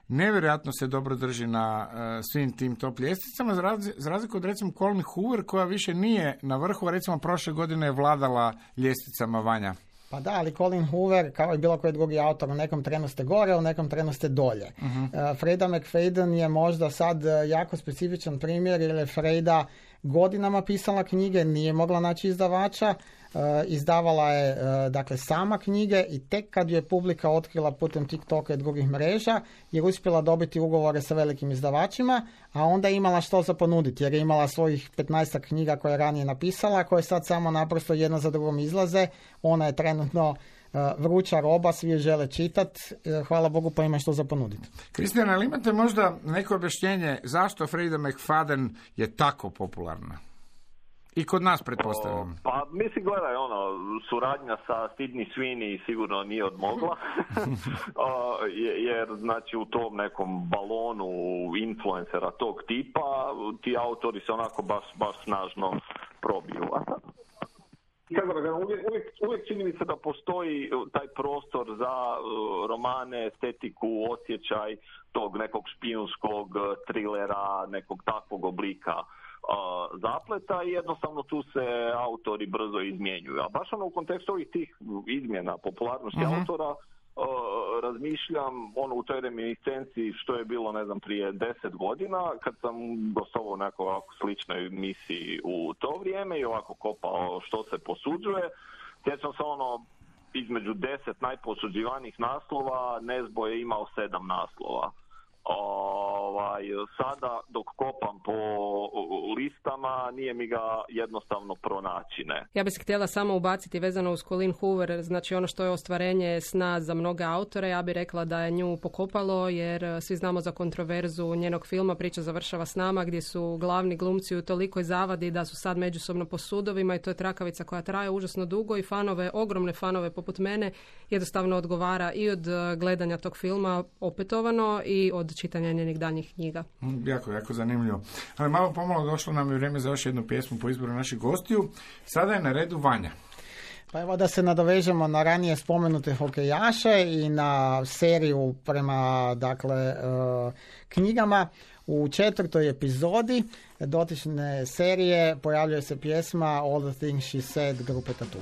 nevjerojatno se dobro drži na svim tim top ljestvicama, za razliku od recimo Colleen Hoover, koja više nije na vrhu, a recimo prošle godine je vladala ljestvicama, Vanja. Pa da, ali Colleen Hoover, kao i bilo koji drugi autor, u nekom trenu ste gore, u nekom trenu ste dolje. Freida McFadden je možda sad jako specifičan primjer, jer je Freida godinama pisala knjige, nije mogla naći izdavača, izdavala je dakle sama knjige i tek kad je publika otkrila putem TikToka i drugih mreža je uspjela dobiti ugovore sa velikim izdavačima, a onda je imala što za ponuditi jer je imala svojih 15 knjiga koje je ranije napisala, koje sad samo naprosto jedna za drugom izlaze. Ona je trenutno vruća roba, svi je žele čitati, hvala Bogu pa ima što za ponuditi. Kristijana, ali imate možda neko objašnjenje zašto Freida McFadden je tako popularna? I kod nas, pretpostavljam. Pa, mislim, gledaj, suradnja sa Sydney Sweeney sigurno nije odmogla, jer, znači, u tom nekom balonu influencera tog tipa, ti autori se onako baš snažno probiju. kako da kažem, uvijek čini mi se da postoji taj prostor za romane, estetiku, osjećaj tog nekog špijunskog trilera, nekog takvog oblika zapleta i jednostavno tu se autori brzo izmjenjuju. A baš ono u kontekstu ovih tih izmjena popularnosti autora razmišljam u toj reminiscenciji što je bilo, ne znam, prije 10 godina kad sam gostovao u nekoj ovako sličnoj misiji u to vrijeme i ovako kopao što se posuđuje. Sjećam se između 10 najposuđivanijih naslova Nezbo je imao 7 naslova. Sada dok kopam po listama nije mi ga jednostavno pronaći, ne. Ja bih se htjela samo ubaciti vezano uz Colleen Hoover, znači ono što je ostvarenje sna za mnoge autore, ja bih rekla da je nju pokopalo jer svi znamo za kontroverzu njenog filma Priča završava s nama gdje su glavni glumci u tolikoj zavadi da su sad međusobno po sudovima i to je trakavica koja traje užasno dugo i ogromne fanove poput mene jednostavno odgovara i od gledanja tog filma opetovano i od čitanja njenih daljnjih knjiga. Jako zanimljivo. Ali malo pomalo došlo nam je vrijeme za još jednu pjesmu po izboru naših gostiju. Sada je na redu Vanja. Pa evo da se nadovežemo na ranije spomenute hokejaše i na seriju prema knjigama. U 4. epizodi dotične serije pojavljuje se pjesma All the Things She Said grupe Tattoo.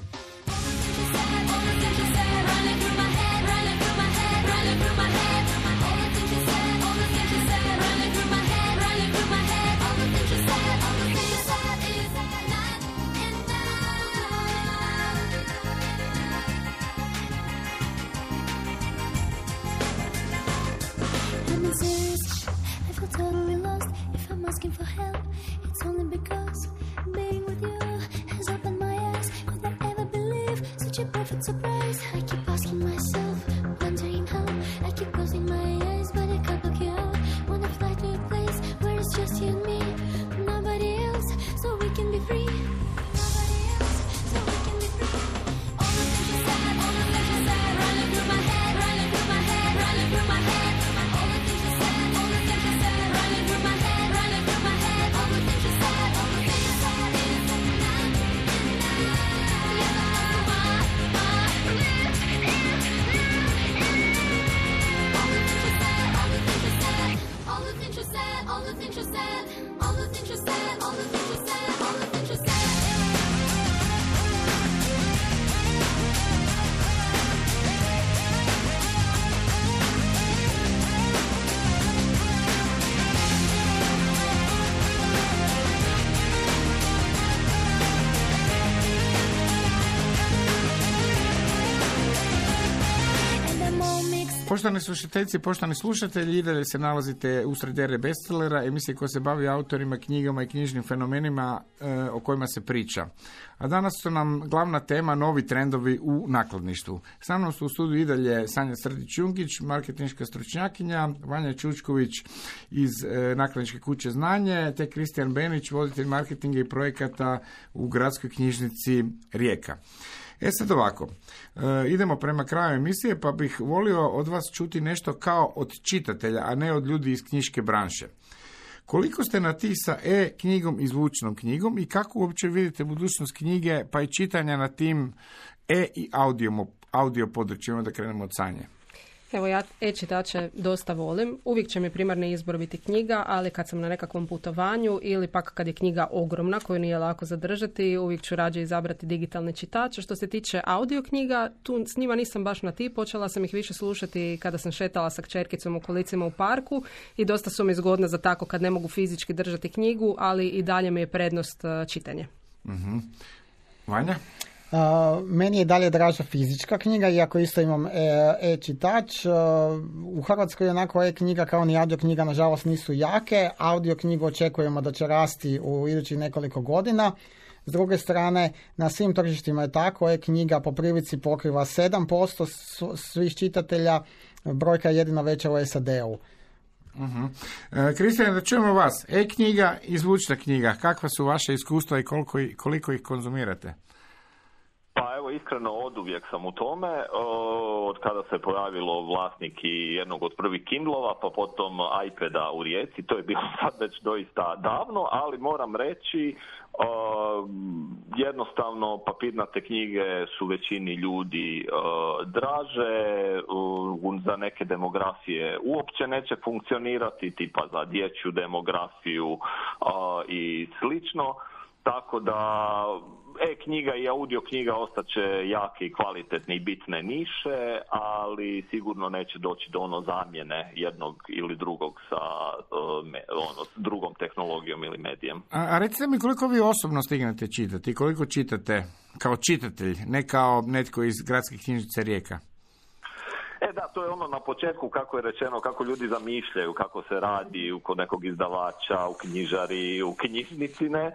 Asking for help, it's only because being with you has opened my eyes. Could I ever believe such a perfect surprise? I keep asking myself, wondering how. I keep closing my eyes, but I can't look you out. Wanna fly to a place where it's just you and me, nobody else, so we can be free. Nobody else, so we can be free. All the things you said, all the things you said, running through my head, running through my head, running through my head. All the things you said, all the things you said, running through my head. Poštovani slušateljice i poštovani slušatelji, i dalje se nalazite usred ere bestsellera, emisije koja se bavi autorima, knjigama i knjižnim fenomenima o kojima se priča. A danas su nam glavna tema novi trendovi u nakladništvu. Sa mnom su u studiju i dalje Sanja Srdić-Jungić, marketinška stručnjakinja, Vanja Čučković iz nakladničke kuće Znanje, te Kristijan Benić, voditelj marketinga i projekata u gradskoj knjižnici Rijeka. Sad ovako, idemo prema kraju emisije, pa bih volio od vas čuti nešto kao od čitatelja, a ne od ljudi iz knjiške branše. Koliko ste na ti sa e-knjigom i zvučnom knjigom i kako uopće vidite budućnost knjige pa i čitanja na tim i audio područjima, da krenemo od Sanje? Evo ja e-čitače dosta volim. Uvijek će mi primarni izbor biti knjiga, ali kad sam na nekakvom putovanju ili pak kad je knjiga ogromna koju nije lako zadržati, uvijek ću rađe izabrati digitalni čitač. Što se tiče audio knjiga, tu s njima nisam baš na ti. Počela sam ih više slušati kada sam šetala sa kćerkicom u kolicima u parku i dosta su mi zgodne za tako kad ne mogu fizički držati knjigu, ali i dalje mi je prednost čitanje. Mm-hmm. Vanja? Meni je dalje draža fizička knjiga, iako isto imam e-čitač. U Hrvatskoj onako e-knjiga kao ni audio knjiga nažalost nisu jake. Audio knjigu očekujemo da će rasti u idućih nekoliko godina. S druge strane, na svim tržištima je tako, e-knjiga po prilici pokriva 7% svih čitatelja, brojka je jedino veća u SAD-u. Kristijan, da čujemo vas. E-knjiga i zvučna knjiga, kakva su vaše iskustva i koliko ih konzumirate? Pa evo iskreno oduvijek sam u tome, od kada se pojavilo vlasnik i jednog od prvih Kindlova, pa potom iPada u Rijeci, to je bilo sad već doista davno, ali moram reći, jednostavno papirnate knjige su većini ljudi draže, za neke demografije uopće neće funkcionirati, tipa za dječju demografiju i slično. Tako da e-knjiga i audio knjiga ostaće jake i kvalitetne i bitne niše, ali sigurno neće doći do zamjene jednog ili drugog sa drugom tehnologijom ili medijem. A recite mi koliko vi osobno stignete čitati, koliko čitate kao čitatelj, ne kao netko iz gradske knjižnice Rijeka? Da, to je na početku kako je rečeno, kako ljudi zamišljaju, kako se radi kod nekog izdavača, u knjižari, u knjižnici, ne.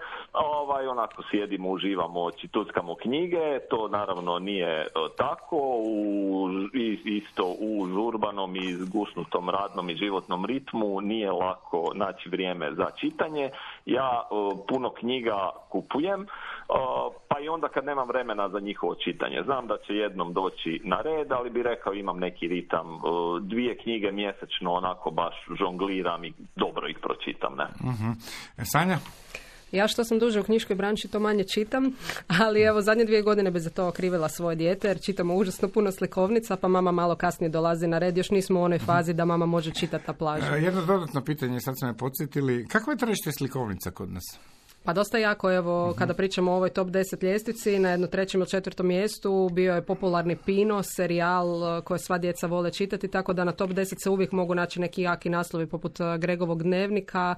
Onako sjedimo, uživamo, tuckamo knjige, to naravno nije tako, isto u urbanom i zgusnutom radnom i životnom ritmu nije lako naći vrijeme za čitanje. Ja puno knjiga kupujem, pa i onda kad nemam vremena za njihovo čitanje. Znam da će jednom doći na red, ali bi rekao imam neki ritam, 2 knjige mjesečno, onako baš žongliram i dobro ih pročitam, ne. Sanja? Ja što sam duže u knjiškoj branši to manje čitam, ali evo zadnje 2 godine bi za to okrivila svoje dijete jer čitamo užasno puno slikovnica, pa mama malo kasnije dolazi na red, još nismo u onoj fazi da mama može čitati na plaži. Jedno dodatno pitanje, sad ste me podsjetili, kakvo je tržište slikovnica kod nas? Pa dosta jako, evo, kada pričamo o ovoj top 10 ljestvici, na 3. ili 4. mjestu bio je popularni Pino, serijal koje sva djeca vole čitati, tako da na top 10 se uvijek mogu naći neki jaki naslovi poput Gregovog dnevnika,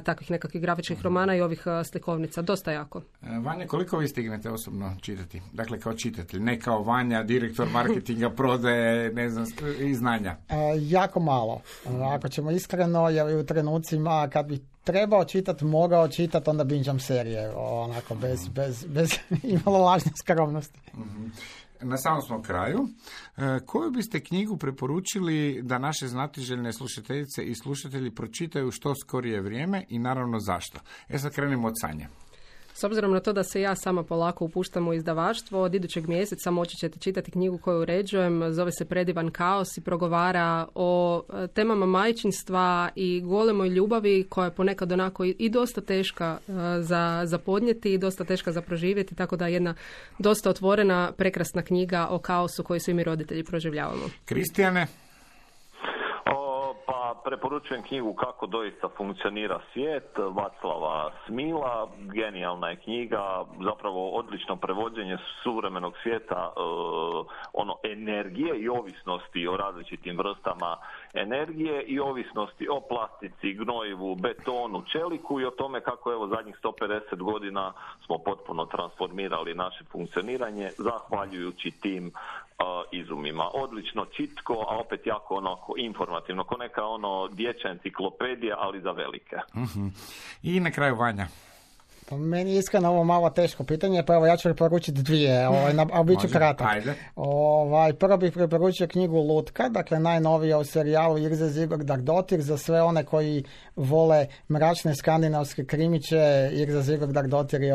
takvih nekakvih grafičkih romana i ovih slikovnica. Dosta jako. Vanja, koliko vi stignete osobno čitati? Dakle, kao čitatelj, ne kao Vanja, direktor marketinga, prodaje, ne znam, i znanja. Jako malo. Ako ćemo iskreno, jer u trenucima kad bi trebao čitati, mogao čitati, onda binđam serije, onako, bez imalo lažne skromnosti. Na samom smo kraju. Koju biste knjigu preporučili da naše znatiželjne slušateljice i slušatelji pročitaju što skorije vrijeme i naravno zašto? Sad krenimo od Sanje. S obzirom na to da se ja sama polako upuštam u izdavaštvo, od idućeg mjeseca moći ćete čitati knjigu koju uređujem, zove se Predivan kaos i progovara o temama majčinstva i golemoj ljubavi koja je ponekad onako i dosta teška za podnijeti i dosta teška za proživjeti, tako da jedna dosta otvorena, prekrasna knjiga o kaosu koji svi mi roditelji proživljavamo. Kristijane? Preporučujem knjigu Kako doista funkcionira svijet, Vaclava Smila. Genijalna je knjiga, zapravo odlično prevođenje suvremenog svijeta, energije i ovisnosti o različitim vrstama energije i ovisnosti o plastici, gnojivu, betonu, čeliku i o tome kako evo zadnjih 150 godina smo potpuno transformirali naše funkcioniranje zahvaljujući tim izumima. Odlično čitko, a opet jako onako informativno, ko neka dječja enciklopedija, ali za velike. I na kraju Vanja. Pa meni je iskreno ovo malo teško pitanje, pa evo ja ću preporučiti 2, a bit ću kratak. Prvo bih preporučio knjigu Lutka, dakle najnovija u serijalu Irze Zigordardottir, za sve one koji vole mračne skandinavske krimiće. Irza Zigordardottir je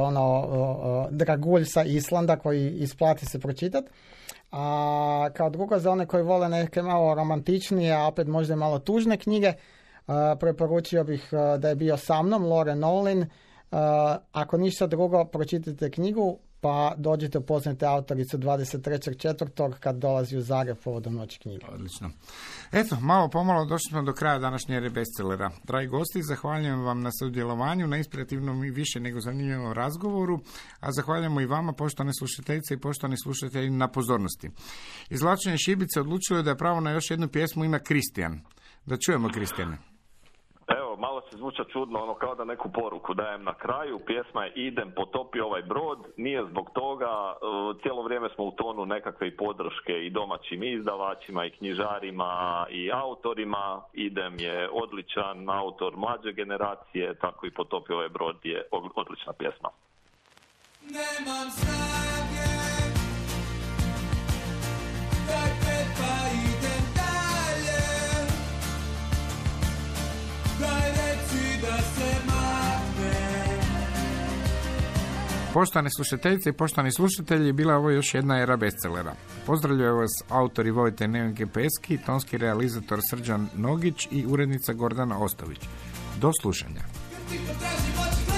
dragulj sa Islanda koji isplati se pročitati. A kao drugo, za one koji vole neke malo romantičnije, a opet možda i malo tužne knjige, preporučio bih Da je bio sa mnom, Lore Nolin. Ako ništa drugo, pročitajte knjigu, pa dođite upoznate autoricu 23.4. kad dolazi u Zagreb povodom Noći knjige. Odlično. Eto, malo pomalo došli smo do kraja današnje ere bestsellera. Dragi gosti, zahvaljujem vam na sudjelovanju, na inspirativnom i više nego zanimljivom razgovoru, a zahvaljujemo i vama, poštovane slušateljice i poštovani slušatelji, na pozornosti. Izvlačenje šibice odlučilo je da je pravo na još jednu pjesmu ima Kristijan. Da čujemo Kristijane. Malo se zvuča čudno, kao da neku poruku dajem na kraju. Pjesma je Idem, potopi ovaj brod. Nije zbog toga, cijelo vrijeme smo u tonu nekakve i podrške i domaćim izdavačima i knjižarima i autorima. Idem je odličan autor mlađe generacije, tako i Potopi ovaj brod je odlična pjesma. Nemam snage, dajte pa idem dalje. Daj reci da se makne, Poštovane slušateljice i poštovani slušatelji, bila je ovo još jedna era bestsellera. Pozdravljaju vas autori Vojte Nevenke Peski, tonski realizator Srđan Nogić i urednica Gordana Ostović. Do slušanja. Ti potraži moći